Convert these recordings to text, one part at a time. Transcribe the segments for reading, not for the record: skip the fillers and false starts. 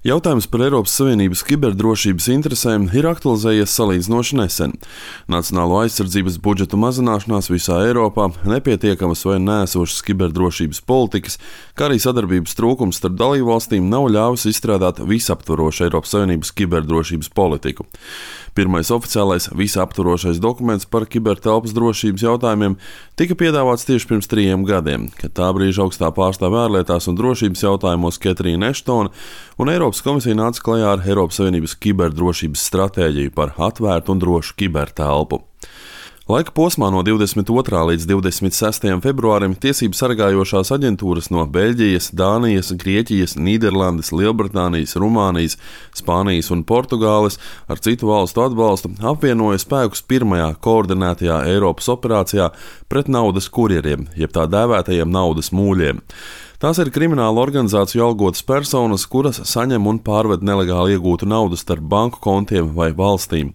Jautājums par Eiropas Savienības kiberdrošības interesēm ir aktualizējies salīdzinoši nesen. Nacionālo aizsardzības budžetu mazināšanās visā Eiropā, nepietiekamas vai neesošas kiberdrošības politikas, kā arī sadarbības trūkums starp dalībvalstīm nav ļāvis izstrādāt visaptvarošu Eiropas Savienības kiberdrošības politiku. Pirmais oficiālais visaptvarošais dokuments par kibertelpas drošības jautājumiem tika piedāvāts tieši pirms 3 gadiem, kad tā brīža augstā pārstāve ārlietās un drošības jautājumos Ketrīna Eštone un Eiropas komisija nāca klajā ar Eiropas Savienības kiberdrošības stratēģiju par atvērtu un drošu kibertelpu. Laika posmā no 22. līdz 26. februārim tiesību sargājošās aģentūras no Beļģijas, Dānijas, Grieķijas, Nīderlandes, Lielbritānijas, Rumānijas, Spānijas un Portugāles ar citu valstu atbalstu apvienoja spēkus pirmajā koordinētajā Eiropas operācijā pret naudas kurjeriem, jeb tā dēvētajiem naudas mūļiem. Tās ir krimināla organizāciju algotas personas, kuras saņem un pārved nelegāli iegūtu naudu starp banku kontiem vai valstīm.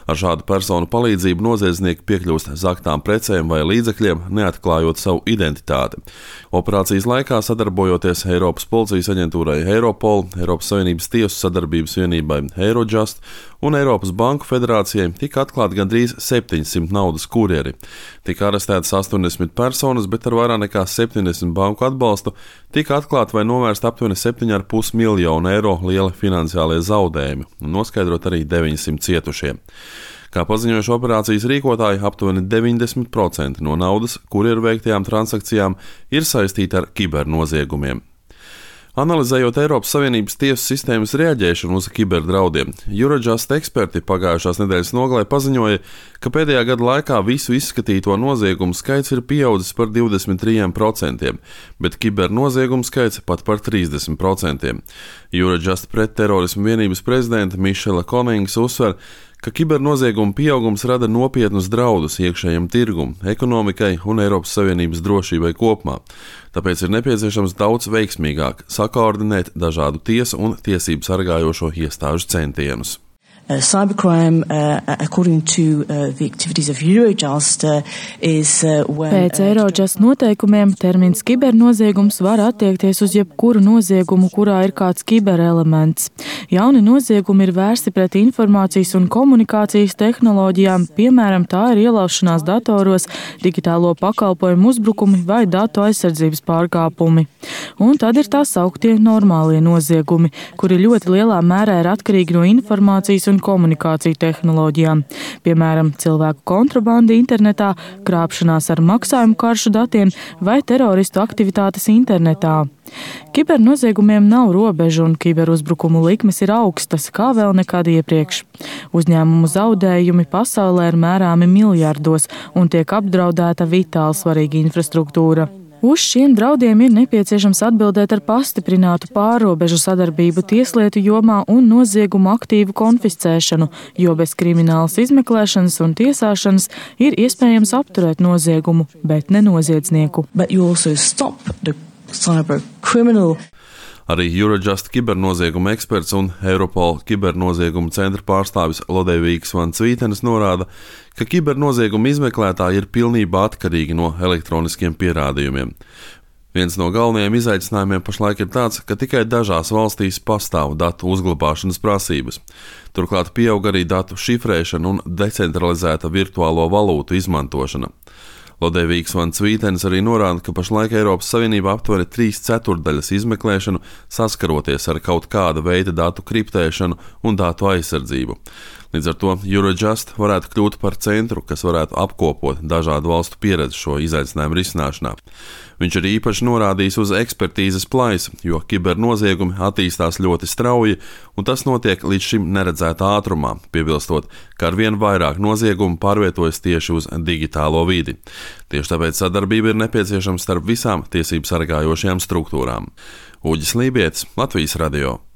Ar šādu personu palīdzību noziedznieki piekļūst zaktām precēm vai līdzekļiem, neatklājot savu identitāti. Operācijas laikā, sadarbojoties Eiropas policijas aģentūrai Europol, Eiropas Savienības tiesu sadarbības vienībai Eurojust un Eiropas Banku federācijai, tika atklāti gandrīz 700 naudas kurjeri. Tika arestētas 80 personas, bet ar vairāk nekā 70 banku atbalstu tika atklāti vai novērst aptuveni 7,5 miljonu eiro lieli finansiālie zaudējumi un noskaidrot arī 900 cietušie. Kā paziņojuši operācijas rīkotāji, aptuveni 90% no naudas, kurjeru veiktajām transakcijām, ir saistīti ar kibernoziegumiem. Analizējot Eiropas Savienības tiesu sistēmas reaģēšanu uz kiberdraudiem, Eurojust eksperti pagājušās nedēļas nogalē paziņoja, ka pēdējā gada laikā visu izskatīto noziegumu skaits ir pieaudzis par 23%, bet kibernoziegumu skaits pat par 30%. Eurojust pretterorismu vienības prezidenta Mišela Konings uzsver, ka kibernoziegumu pieaugums rada nopietnus draudus iekšējam tirgum, ekonomikai un Eiropas Savienības drošībai kopumā. Tāpēc ir nepieciešams daudz veiksmīgāk sakoordinēt dažādu tiesu un tiesību sargājošo iestāžu centienus. Cybercrime, according to the activities of Eurojust, is when... Pēc Eurojust noteikumiem termins kibernoziegums var attiekties uz jebkuru noziegumu, kurā ir kāds kiberelements. Jauni noziegumi ir vērsti pret informācijas un komunikācijas tehnoloģijām, piemēram, tā ir ielaušanās datoros, digitālo pakalpojumu uzbrukumi vai datu aizsardzības pārkāpumi. Un tad ir tā sauktie normālie noziegumi, kuri ļoti lielā mērā ir atkarīgi no informācijas un komunikāciju tehnoloģijām, piemēram, cilvēku kontrabanda internetā, krāpšanās ar maksājumu karšu datiem vai teroristu aktivitātes internetā. Kibernoziegumiem nav robežu un kiberuzbrukumu likmes ir augstas, kā vēl nekad iepriekš. Uzņēmumu zaudējumi pasaulē ir mērāmi miljardos un tiek apdraudēta vitāli svarīga infrastruktūra. Uz šiem draudiem ir nepieciešams atbildēt ar pastiprinātu pārrobežu sadarbību tieslietu jomā un noziegumu aktīvu konfiscēšanu, jo bez kriminālas izmeklēšanas un tiesāšanas ir iespējams apturēt noziegumu, bet ne noziedznieku. Arī Eurojust kibernozieguma eksperts un Europol kibernoziegumu centra pārstāvis Lodevīgs Van Cvītenes norāda, ka kibernoziegumu izmeklētāji ir pilnībā atkarīgi no elektroniskiem pierādījumiem. Viens no galvenajiem izaicinājumiem pašlaik ir tāds, ka tikai dažās valstīs pastāv datu uzglabāšanas prasības. Turklāt pieaug arī datu šifrēšana un decentralizēta virtuālo valūtu izmantošana. Lodevīgs Van Cvītenes arī norāda, ka pašlaik Eiropas Savienība aptver 3/4 izmeklēšanu saskaroties ar kaut kāda veida datu kriptēšanu un datu aizsardzību. Līdz ar to Eurojust varētu kļūt par centru, kas varētu apkopot dažādu valstu pieredzi šo izaicinājumu risināšanā. Viņš arī īpaši norādījis uz ekspertīzes plaisu, jo kibernoziegumi attīstās ļoti strauji, un tas notiek līdz šim neredzētā ātrumā, piebilstot, ka arvien vairāk noziegumu pārvietojas tieši uz digitālo vidi. Tieši tāpēc sadarbība ir nepieciešama starp visām tiesību sargājošajām struktūrām. Uģis Lībietis, Latvijas radio.